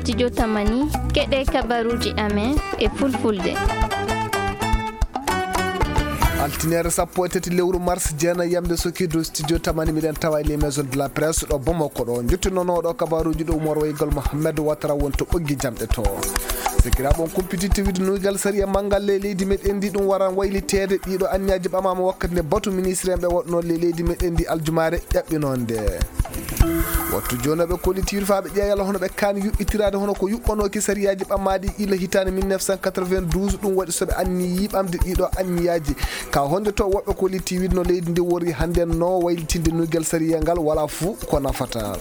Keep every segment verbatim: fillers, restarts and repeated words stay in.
Studio Tamani, keɗe kabaruuji amen e fulfulde. Altineere sappo e tati lewru mars, jeenayi yamde sokirdu studio Tamani, miɗen tawa e les maisons de la presse ɗo Bamako ɗo. Njottinono ɗo kabaruuji ɗo Umar Waygal Mohamed Watara won to ɓoggi jamɗe to. Sikiraaɓe, on kumpiti tewide nuygal sariya manngal e leydi meɗen ndi, ɗum waran wayliteede. Ɗiɗo anniyaaji ɓamaama wakkati nde batu ministre en ɓe waɗno le leydi meɗen ndi aljumaare ƴaɓɓinonde. Wattu jooni ɓe kollitiiɗo faa ɓe ƴeewa yalla hono ɓe kaani yuɓɓitiraade hono ko yuɓɓanooki sariyaaji ɓammaaɗi ila hitaande mille neuf cent quatre-vingt-douze. Ɗum waɗi so ɓe anniyii ɓamde ɗiɗo anniyaaji. Ka honde to woɓɓe kollitiiɗo no leydi ndi wori hannde no waylitinde nuygal sariya ngal wala fuu ko nafata.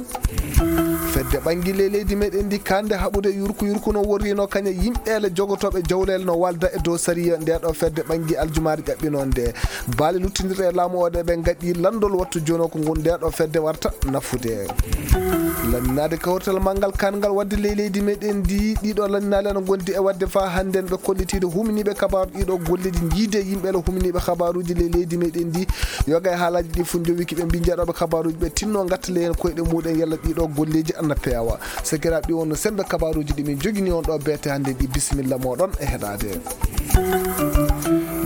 Fedde ɓanngille leydi meɗen ndi kande haɓude yurku yurku no worrino kañe yimɓeele jogotooɓe jawleele no walda e dow sariya. Nde ɗo fedde ɓanngi aljumaare ƴaɓɓinonde. Baale luttindirɗe e laamu o ɗe ɓe ngaɗi lanndol wattu jooni o ko ngun nde ɗo fedde warta nafude. Lanninaade kawrital manngal kanngal waɗde ley leydi meɗen ndi, ɗiɗo lanninaale no ngondi e waɗde faa hannden ɓe kollitiiɗo huminiiɓe kabaaru ɗiɗo golleeji jiide yimɓeele huminiiɓe kabaaruuji ley leydi meɗen ndi. Yoga e haalaaji ɗi fof njowiki ɓe mbii njeeɗooɓe kabaaruuji ɓe tinno ngattale heen koyɗe muɗen yalla ɗiɗo golleeji ana peewa. Sakiraaɓe, ɗi wonno semmbe kabaaruuji ɗi min njogini on ɗo beete hannde ɗi. Bisimilla mooɗon e heɗaade.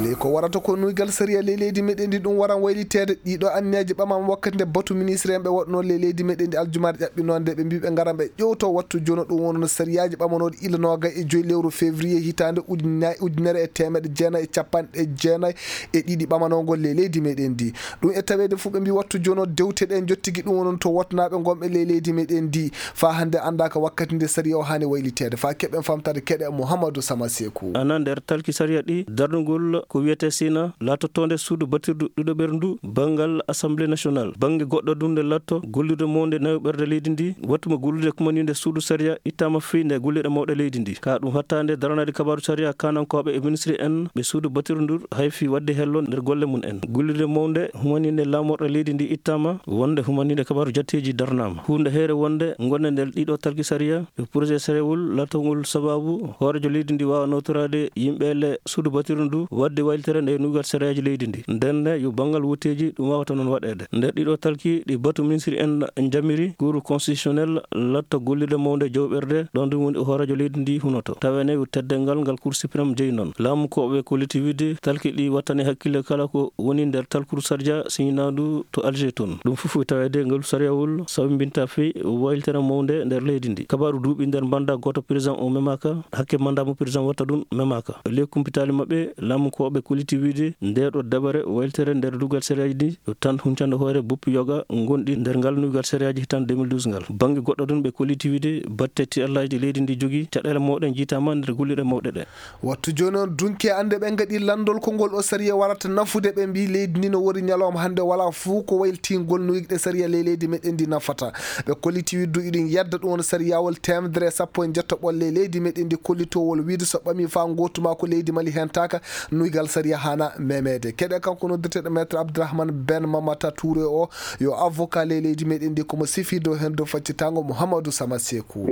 Ley ko warata ko nuygal sariya ley leydi meɗen ndi ɗum waran wayliteede. Ɗiɗo anniyaji ɓamama wakkati nde batu ministre en ɓe waɗno ley leydi meɗen ndi aljumaare ƴaɓɓinonde ɓe mbii ɓe ngaran ɓe ƴewto wattu jono ɗum wonno sariyaaji ɓamanoɗi ila noogay e joyi lewru février hitaande ujunna-, ujunere e teemeɗe jeenayi e capanɗe jeenayi e ɗiɗi ɓamanongol ley leydi meɗen ndi. Ɗum e taweede fof ɓe mbii wattu jono dewte ɗe jottigi ɗum wonon to wotnaaɓe ngonɓe ley leydi meɗen ndi. Faa hannde anndaaka wakkati nde sariya o haani wayliteede. Faa keɓen famtaade keɗe Mouhamadou Sama Sekou. Ana nder talki sariya ɗi darnugol ko wiyetee sina laatotoonde suudu batirdu ɗiɗo ɓerndu banngal Assemblée nationale. Bannge goɗɗo ɗum nde laatto gollude mo nde nayo ɓerde leydi ndi, wattu mo gollude kumaninde suudu sariya ittaama fii nde golliɗe mawɗe leydi ndi. Ka ɗum hattaande daranaade kabaaru sariya kanankooɓe e ministri en ɓe suudu batirdu ndu hay fii waɗde hello nder golle mum en. Gollude mawnde humaninde laamorɗe leydi ndi ittaama, wonde humaninde kabaaru jatteeji darnaama. Huunde heere wonde ngonde nder ɗiɗo talki sariya, e projet sarewol laatongol sababu hooreejo leydi ndi waawa nootoraade yimɓe le suudu batirdu ndu waɗde waylitere nde nuygal sariyaaji leydi ndi. Ndenne yo banngal wotteeji ɗum waawata noon waɗeede. Nder ɗiɗo talki ɗi batu ministri en njamiri Cour constitutionnel latta golliɗo mawnde jawɓerde ɗon ɗum woni hooreejo leydi ndi hunoto. Tawene yo teddeengal ngal Cour suprême jeyi noon. Laamu ko ɓe kolliti wiide talki ɗi wattani hakkille kala ko woni nder talkuru sarja siñinaandu to Alger toon. Ɗum fof e taweede ngal sariyawol sababu mbinta fii waylitere mawnde nder leydi ndi. Kabaaru duuɓi nder manda gooto président o memaaka, hakke manda mo président watta ɗum memaaka. E ley kumpitaali maɓɓe, laamu ko ɓe kolliti wiide nde ɗo dabare waylitere nder dugal sariyaaji ndi yo tan huncande hoore buppi yoga gonɗi nder ngal nuygal sariyaaji hitan deux mille douze ngal. Bannge goɗɗo ɗum ɓe kolliti wiide batte tiɗallaaji leydi ndi jogi caɗeele mawɗe jiitaama nder golliɗe mawɗe ɗe. Wattu jooni on dunke annde ɓe ngaɗi lanndol ko ngol o sariya warata nafude. Ɓe mbii leydi ndi no wori ñalawma hannde wala fuu ko waylitingol no yiɗde sariya ley leydi meɗen ndi nafata. Ɓe kolliti widdu iɗin yadda ɗum won sariyawol teemedere e sappo e njetto ɓolle leydi meɗen ndi kollitowol wiide so ɓami faa ngootu maa ko leydi Mali hentaaka nuygal sariya hana memeede. Keɗe kanko noddirteɗo maître Abdourahmane Ben Mamata Touré o yo avocat ley leydi meɗen ndi komo sifi dow heen dow faccitango Mouhamadou Sama Sekou.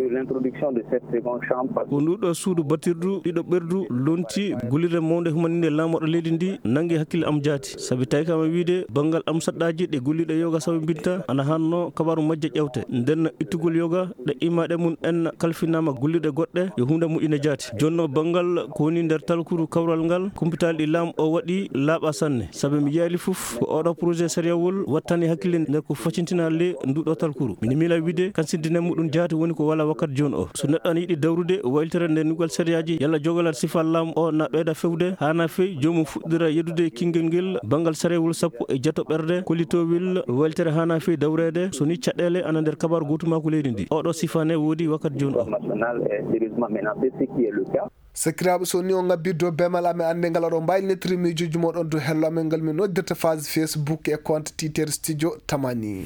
Ko nduɗo suudu batirdu ɗiɗo ɓerdu lonti gullirde mawnde humaninde laamorɗo leydi ndi nangi hakkille am jaati. Sabi tawi kam e wiide banngal am saɗɗaaji ɗe golliɗe yoga sababu mbinta ana hanno kabaru majje ƴewte. Nden ittugol yoga ɗe imaɗe mum en kalfinaama golliɗe goɗɗe yo huunde moƴƴine jaati. Jonno banngal ko woni nder talkuru kawral ngal kumpitaali ɗi laam o waɗi laaɓa sanne. Sabi mi yaali fof ko oɗo projet sariyawol wattani hakkille nder ko facintina le nduɗo talkuru. Mini mila wiide kan siddine muɗum jaati woni ko wala wakkat jooni o. So neɗɗo ana yiɗi dawrude waylitere nde ndugal sariyaaji yalla jogalal sifal laam o na ɓeyda fewde, hana fey joomum fuɗɗira yeddude kingel ngel banngal sarewol sappo e jeto ɓerde kollitowel waylitere hana fey dawreede so ni caɗeele ana nder kabaru gootumaako leydi ndi. Oɗo sifane woodi wakkat jooni o. Sakiraaɓe, so ni on ngabbirdo bemal amen annde ngal oɗo mbaylinitiri miijuuji moɗon dow hello amen ngal min noddirta phase Facebook e compte Twitter Studio Tamani.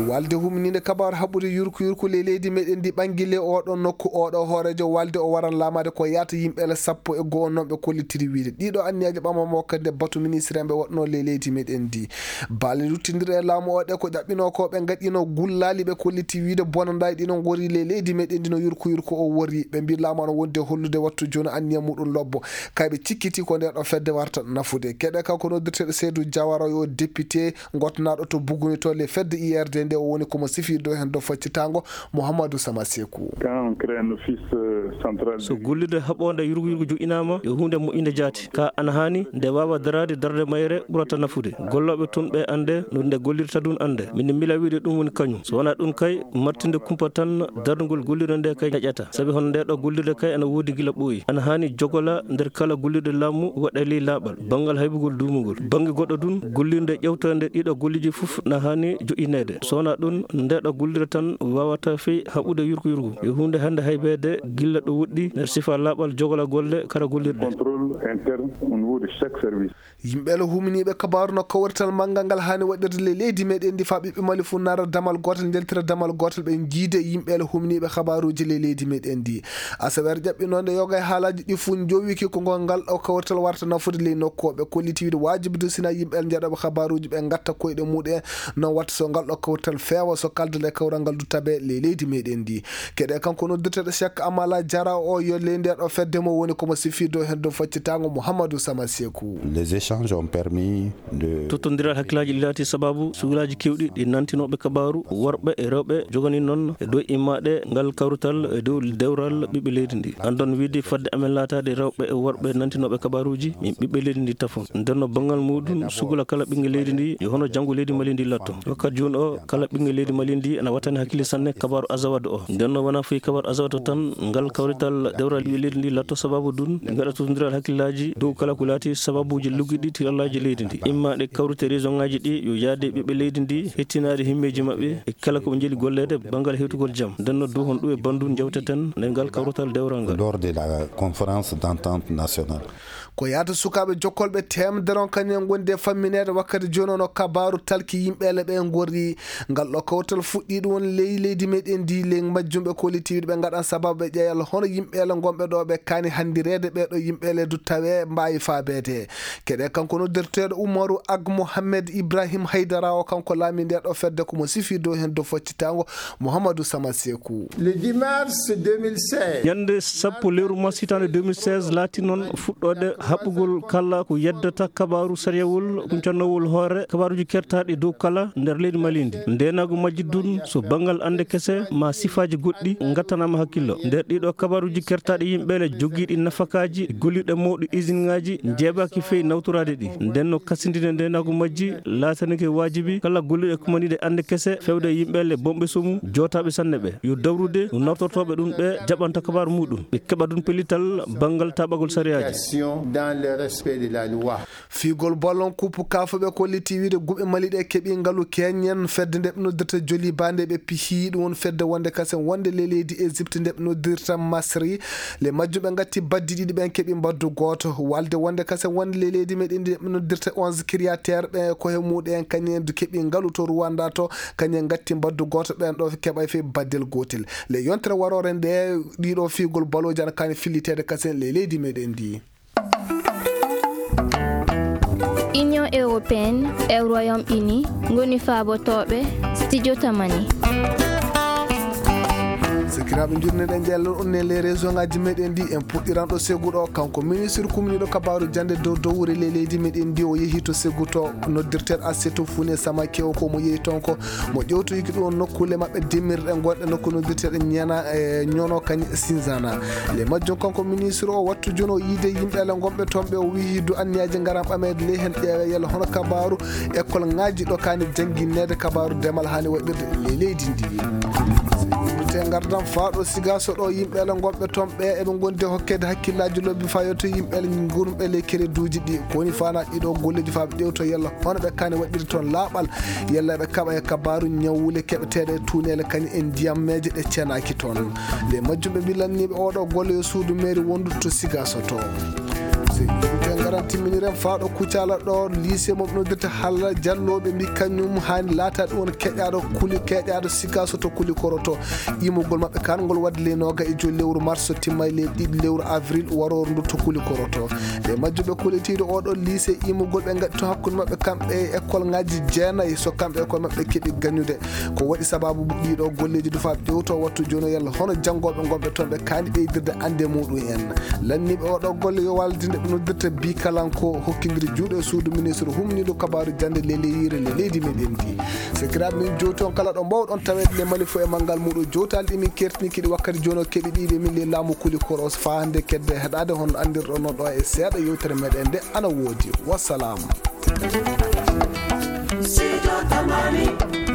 Walde humninde kabaru haɓude yurku yurku ley leydi meɗen ndi ɓangi le oɗo nokku oɗo hooreejo walde o waran laamaade ko yaata yimɓe ele sappo e goo non ɓe kollitiri wiide ɗiɗo anniyaji ɓamamo kadi nde batu ministre en ɓe waɗno ley leydi meɗen ndi. Baale luttindirɗe e laamu o ɗe ko ƴaɓɓino ko ɓe ngaɗino gullaali ɓe kolliti wiide bonandaji ɗino ngori ley leydi meɗen ndi no yurku yurku o wori. Ɓe mbi laamu ano wondi e hollude wattu jooni anniya muɗum lobbo. Kay ɓe cikkiti ko nde ɗo fedde warta nafude. Keɗe kanko noddirteɗo Seydou Diawara yo député gottanaɗo to Buguni to le fedde I R D Nde o woni ko mo sifii dow heen dow faccitaango Mouhamadou Sama Sekou. Quand on crée un office, euh, central. So gollirde haɓoonde yurgu yurgu joƴƴinaama, yo huunde moƴƴinde jaati. Ka ana haani nde waawa daraade darnde mayre ɓurata nafude. Gollooɓe toon ɓe annde no nde gollirta ɗum annde. Min mila wiide ɗum woni kañum. So wonaa ɗum kay, martinde kumpa tan darnugol gollirde nde kay ñaƴata. Sabi hono nde ɗo gollirde kay ana woodi gila ɓooyi. Ana haani jogola nder kala gollirde laamu waɗa ley laaɓal, banngal haybugol duumugol. Bannge goɗɗo ɗum, gollirde ƴeewtande ɗiɗo golleeji fof na haani joƴƴineede. So wonaa ɗum, nde ɗo gollirde tan waawata fey haɓude yurgu yurgu. Yo huunde hannde haybeede gila ɗo woɗɗi nder sifa laaɓal jogola golle kala gollirɗe. Contrôle interne au niveau de chaque service. Yimɓe le huminiiɓe kabaaru no kawrital manngal ngal haani waɗirde ley leydi meɗen ndi faa ɓiɓɓe Mali fof nara damal gootal, njaltira damal gootal, ɓe njiide yimɓe le huminiiɓe kabaaruuji ley leydi meɗen ndi. Asaweere ƴaɓɓinoonde yoga e haalaaji ɗi fof njowiki ko ngol ngal ɗo kawrital warta nafude ley nokku o. Ɓe kolliti wiide waajibi dusina yimɓe le njaɗooɓe kabaaruuji ɓe ngatta koyɗe muɗen, noon watta so ngal ɗo kawrital feewa so kaldal e kawral ngal du tabe ley leydi meɗen ndi. Keɗe kanko noddirteɗo Cheikh Amala Jara o yo ley nde ɗo fedde mo woni ko mo sifii dow heen dow faccitaango Mouhamadou Sama Sekou. Les échanges ont permis de Tottondiral hakkillaaji ɗi laati sababu sukilaaji keewɗi ɗi nantinooɓe kabaaru, worɓe e rewɓe jogani noon e dow immaade ngal kawrital e dow dewral ɓiɓɓe leydi ndi. Anndon wiide fadde amen laataade rewɓe e worɓe nantinooɓe kabaaruuji, min ɓiɓɓe leydi ndi tafon. Nden no banngal muɗum sukula kala ɓiŋnge leydi ndi yo hono janngo leydi Mali ndi latto. Wakkati jooni o kala ɓiŋnge leydi Mali ndi ana wattani hakkille sanne kabaaru Azawad o. Nden no wonaa fof kabaaru Azawad o tan ngal kawrital dewral ɓiɓɓe leydi ndi latto sababu ɗum ɓe ngaɗa tottondiral hakkillaaji dow kala ko laati sababuuji luggiɗi tirallaaji leydi ndi. Immaade kawrite région ŋaaji ɗi yo yaade ɓiɓɓe leydi ndi hettinaade himmeeji maɓɓe e kala ko ɓe njeli golleede banngal hewtugol jam. Nden no dow hon ɗum e banndum njawteten nden ngal kawrital dewral ngal. Lors de la conférence d'entente nationale. Ko yahata sukaaɓe jokkolɓe teemedere on kañum en ngondi e fammineede wakkati jooni o no kabaaru talki yimɓeele ɓe ngorri. Ngal ɗo kawtal fuɗɗii ɗum won ley leydi meɗen ndi, ley majjum ɓe kolliti wiide ɓe ngaɗan sababu ɓe ƴeeyal hono yimɓeele ngonɓe ɗo ɓe kaani hanndireede ɓee ɗo yimɓeele du tawee mbaawi faabeede. Keɗe kanko noddirteeɗo Umaru Ag Mohamed Ibrahim Haydara o kanko laami nde ɗo fedde ko mo sifii dow heen dow faccitaango Mouhamadou Sama Sekou. Le dix mars deux mille seize. Ñande sappo lewru mars hitaande deux mille seize laati noon fuɗɗoode haɓɓugol kala ko yeddata kabaaru sariyawol huncannowol hoore kabaaruuji kertaaɗi dow kala nder leydi Mali ndi. Ndeenaagu majji ɗum so banngal annde kese ma sifaaji goɗɗi ngattanaama hakkillo. Nder ɗiɗo kabaaruuji kertaaɗi yimɓeele jogiiɗi nafakaaji gollirɗe mawɗi usine ŋaaji njeeɓaaki fey nawtoraade ɗi. Nden no kasindine ndeenaagu majji laatanike waajibi kala gollirɗe kumaniiɗe annde kese fewde e yimɓeele bonɓe somu jootaaɓe sanne ɓe. Yo dawrude no nawtortooɓe ɗum ɓe jaɓanta kabaaru muɗum. Ɓe keɓa ɗum pellital banngal taɓagol sariyaaji. Dans le respect de la loi. Fiigol ballon kuppu kafuɓe kolliti wiide guɓe Mali ɗe keɓi ngalu keñen fedde nde ɓe noddirta joli bande ɓe pihi ɗum won fedde wonde kasen wonde le leydi Égypte nde ɓe noddirta Masri. Le majjum ɓe ngatti baddi ɗiɗi ɓen keɓi mbaddu gooto. Walde wonde kasen wonde le leydi meɗen ndi ɓe noddirta onze créateur ɓe koye muɗen kañen du keɓi ngalu to Rwanda to kañen ngatti mbaddu gooto ɓen ɗo keɓay fe baddel gootel. Le yontere waroore nde ɗiɗo fiigol baloji ana kani filliteede kasen le leydi meɗen ndi. Union européenne e Royaume-Uni ngoni faabotooɓe studio Tamani. Sakiraaɓe, njurneɗen jallal on e les région ngaji meɗen ndi en puɗɗiran ɗo segu ɗo kanko ministre kumniɗo kabaru jande dow dowre le leydi meɗen ndi o yehi to segu to noddirteɗo Assetou Founé Samake o ko mo yehi toon ko mo ƴewtoyiki ɗum nokkule maɓɓe dimmirɗe gonɗe nokku noddirteɗe ñana e ñono kañ Sinzana. Le majjum kanko ministre o wattu jono yiide yimɓe ala gonɓe toon ɓe o wihi du anniyaji ngaran ɓameede ley hen ƴeewe yalla hono kabaru école ngaji ɗo kani jannginneede kabaru demal hani waɗirde ley leydi ndi. Te ngardam faaɗo sigaso ɗo yimɓe ala gonɓe toon ɓe eɓe gondi hokkede hakkillaji lobbi fayoto yimɓe ala gurumɓe ley kereduji ɗi koni fana ɗiɗo golleji faaɓe ƴewto yalla hono ɓe kani waɗirde toon laaɓal yalla ɓe kaɓa e kabaru ñawwule keɓeteɗe e tunele kañum e ndiyammeje ɗe cenaki toon. Nde majjum ɓe mbilanniɓe oɗo golle yo suudu mairie wondu to sigaso to. Te ngaran timminiren faaɗo kucala ɗo lycée mo noddirta halla jalloɓe mbi kañum hani laata ɗum won keƴaɗo kuli keƴaɗo sigaso to kuli koroto. Imugol maɓɓe kan ngol wadde le noga e joyi lewru mars timma e le ɗiɗi lewru avril waroru ndu to kuli koroto. Nde majjum ɓe kollitiɗo oɗo lycée imugol ɓe gaɗi to hakkude maɓɓe kamɓe e école ngaji jeenayi so kamɓe école maɓɓe keɓi gañude. Ko waɗi sababu ɗiɗo golleji dufaɓe ƴewto wattu jono yalla hono janngoɓe gonɓe toon ɓe kaani ɓeydirde ande muɗum en. Lanniɓe oɗo golle yo waldinde Noddirta bikalanko hokkindiri juuɗe e suudu ministre humniiɗo kabaaru jannde leleyire le leydi meɗen ndi. Sekiraaɓe men jowti on kala ɗo mbawɗon taweede le mali fof e manngal muɗo jowtaali ɗi min kertini kiɗi wakkati jono keɓi ɗiɗi min le laamu kuli koros faa hannde kedde heɗaade hon anndirɗo no ɗo e seeɗa yewtere meɗen nde ana woodi. Wassalaamu. Sijo Tamani.